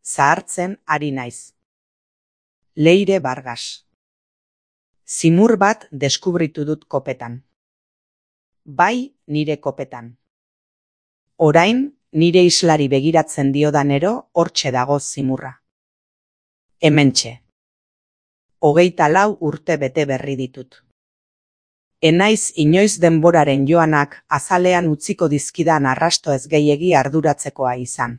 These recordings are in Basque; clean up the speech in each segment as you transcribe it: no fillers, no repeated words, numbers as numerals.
zahartzen ari naiz. Leire Vargas. Zimur bat deskubritu dut kopetan. Bai, nire kopetan. Orain, nire islari begiratzen diodanero, hortxe dago zimurra. Hementxe. 24 urte bete berri ditut. Enaiz inoiz denboraren joanak azalean utziko dizkidan arrasto ez gehiegi arduratzekoa izan.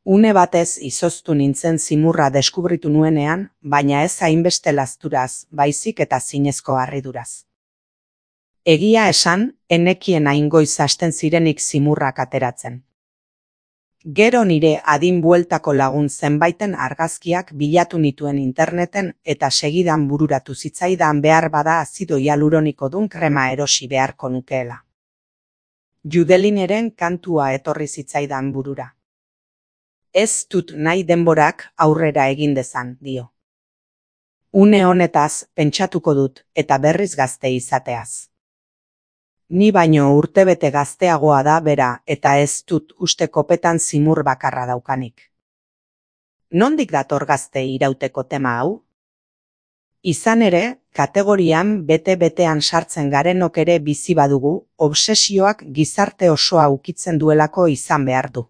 Une batez izoztu nintzen zimurra deskubritu nuenean, baina ez hainbeste lasturaz, baizik eta zinezko harriduraz. Egia esan, enekien aingoiz hasten zirenik zimurrak ateratzen. Gero nire adin bueltako lagun zenbaiten argazkiak bilatu nituen interneten eta segidan bururatu zitzaidan behar bada azido hialuronikodun krema erosi beharko nukeela. Judelineren kantua etorri zitzaidan burura. Ez dut nahi denborak aurrera egin dezan, dio. Une honetaz pentsatuko dut eta berriz gazte izateaz. Ni baino urtebete gazteagoa da bera eta ez dut uste kopetan zimur bakarra daukanik. Nondik dator gazte irauteko tema hau? Izan ere, kategorian bete-betean sartzen garenok ere bizi badugu, obsesioak gizarte osoa ukitzen duelako izan behar du.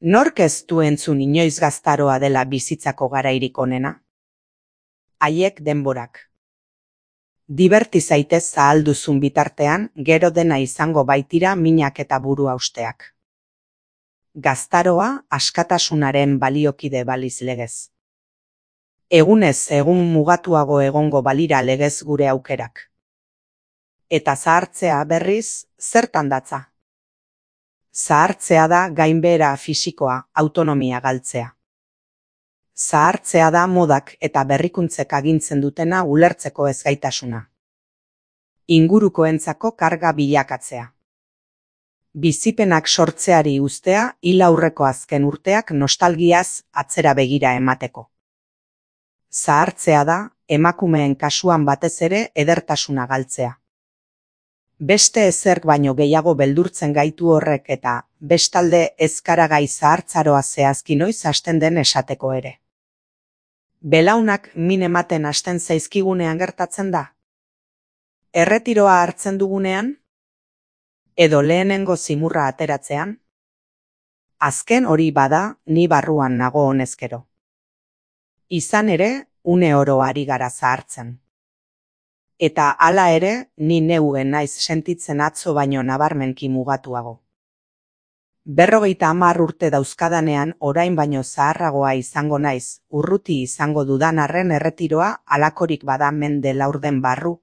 Nork ez du entzun inoiz gaztaroa dela bizitzako garairik onena? Haiek denborak. Diberti zaitez zahalduzun bitartean, gero dena izango baitira minak eta buru hausteak. Gaztaroa askatasunaren baliokide baliz legez. Egunez egun mugatuago egongo balira legez gure aukerak. Eta zahartzea berriz, zertan datza? Zahartzea da gainbehera fisikoa, autonomia galtzea. Zahartzea da modak eta berrikuntzek agintzen dutena ulertzeko ezgaitasuna. Ingurukoentzako karga bilakatzea. Bizipenak sortzeari uztea hil aurreko azken urteak nostalgiaz atzera begira emateko. Zahartzea da emakumeen kasuan batez ere edertasuna galtzea. Beste ezerk baino gehiago beldurtzen gaitu horrek eta bestalde ezkaragai zahartzaroa zehazki noiz hasten den esateko ere. Belaunak min ematen hasten zaizkigunean gertatzen da? Erretiroa hartzen dugunean? Edo lehenengo zimurra ateratzean? Azken hori bada ni barruan nago honezkero. Izan ere, une oro ari gara zahartzen. Eta hala ere, ni neuen naiz sentitzen atzo baino nabarmenki mugatuago. 50 urte dauzkadanean orain baino zaharragoa izango naiz, urruti izango dudan arren erretiroa halakorik bada mende laurden barru.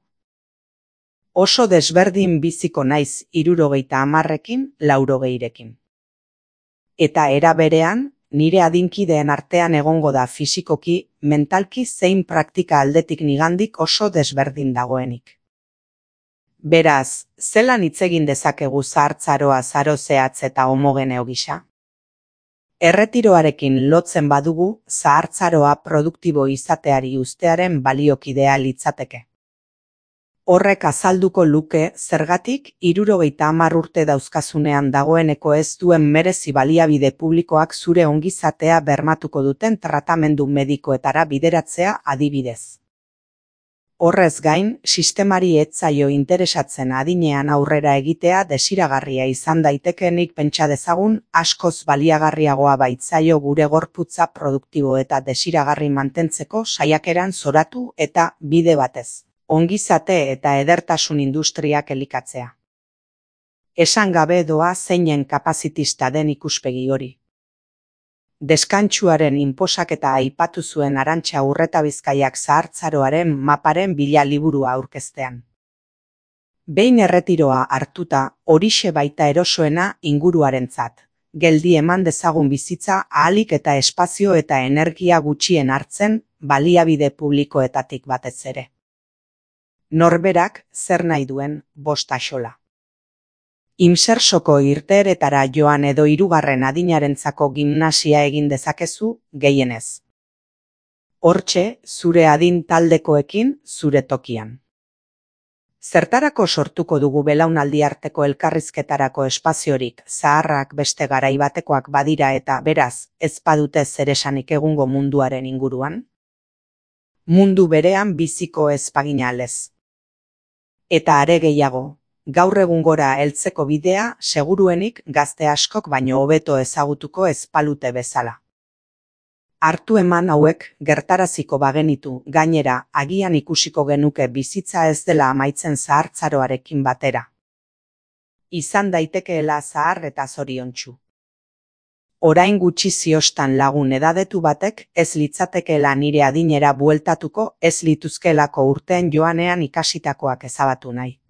Oso desberdin biziko naiz 70ekin, 80ekin. Eta era berean, nire adinkideen artean egongo da fisikoki, mentalki zein praktika aldetik nigandik oso desberdin dagoenik. Beraz, zelan hitz egin dezakegu zahartzaroa zaro zehatz eta homogeneo gisa? Erretiroarekin lotzen badugu, zahartzaroa produktibo izateari uztearen baliokidea litzateke. Horrek azalduko luke zergatik 70 urte dauzkazunean dagoeneko ez duen merezi baliabide publikoak zure ongizatea bermatuko duten tratamendu medikoetara bideratzea adibidez. Horrez gain, sistemari ez zaio interesatzen adinean aurrera egitea desiragarria izan daitekenik pentsa dezagun askoz baliagarriagoa baitzaio gure gorputza produktibo eta desiragarri mantentzeko saiakeran zoratu eta bide batez. Ongizate eta edertasun industriak elikatzea. Esan gabe doa zeinen kapazitista den ikuspegi hori. Deskantsuaren inposaketa aipatu zuen Arantxa Urretabizkaiak zahartzaroaren maparen bila liburua aurkeztean. Behin erretiroa hartuta horixe baita erosoena inguruarentzat. Geldi eman dezagun bizitza ahalik eta espazio eta energia gutxien hartzen baliabide publikoetatik batez ere. Norberak zer nahi duen bost axola. Imsersoko irteeretara joan edo 3. adinarentzako gimnasia egin dezakezu gehienez. Hortxe, zure adin taldekoekin zure tokian. Zertarako sortuko dugu belaunaldi arteko elkarrizketarako espaziorik, zaharrak beste garai batekoak badira eta beraz, ez badute zeresanik egungo munduaren inguruan? Mundu berean biziko ez bagina lez. Eta are gehiago, gaur egun gora heltzeko bidea seguruenik gazte askok baino hobeto ezagutuko ez balute bezala. Hartu eman hauek gertaraziko bagenitu, gainera, agian ikusiko genuke bizitza ez dela amaitzen zahartzaroarekin batera. Izan daitekeela zahar eta zoriontsu. Orain gutxi ziostan lagun edadetu batek ez litzatekeela nire adinera bueltatuko ez lituzkelako urteen joanean ikasitakoak ezabatu nahi.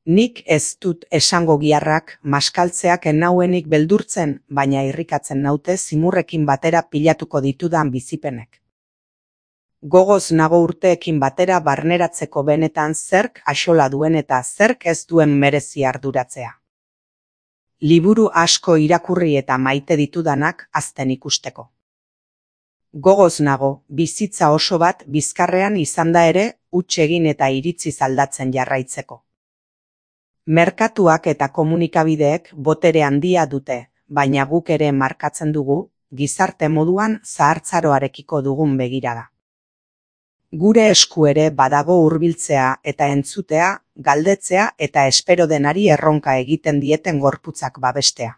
Nik ez dut esango giharrak, maskaltzeak enauenik beldurtzen, baina irrikatzen naute zimurrekin batera pilatuko ditudan bizipenek. Gogoz nago urteekin batera barneratzeko benetan zerk axola duen eta zerk ez duen merezi arduratzea. Liburu asko irakurri eta maite ditudanak hazten ikusteko. Gogoz nago, bizitza oso bat bizkarrean izanda ere, huts egin eta iritziz aldatzen jarraitzeko. Merkatuak eta komunikabideek botere handia dute, baina guk ere markatzen dugu, gizarte moduan zahartzaroarekiko dugun begirada. Gure esku ere badago hurbiltzea eta entzutea, galdetzea eta espero denari erronka egiten dieten gorputzak babestea.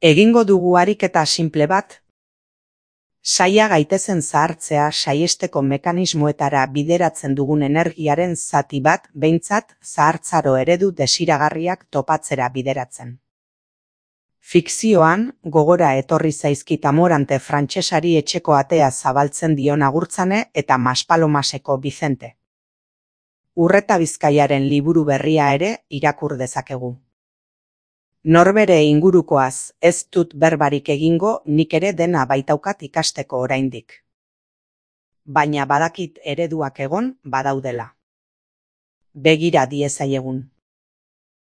Egingo dugu ariketa simple bat? Saia gaitezen zahartzea saiesteko mekanismoetara bideratzen dugun energiaren zati bat behintzat zahartzaro eredu desiragarriak topatzera bideratzen. Fikzioan, gogora etorri zaizkit Amorante frantsesari etxeko atea zabaltzen dion Agurtzane eta Maspalomaseko Bizente. Urreta Bizkaiaren liburu berria ere irakur dezakegu. Norbere ingurukoaz ez dut berbarik egingo, nik ere dena baitaukat ikasteko oraindik. Baina badakit ereduak egon badaudela. Begira diezaiegun.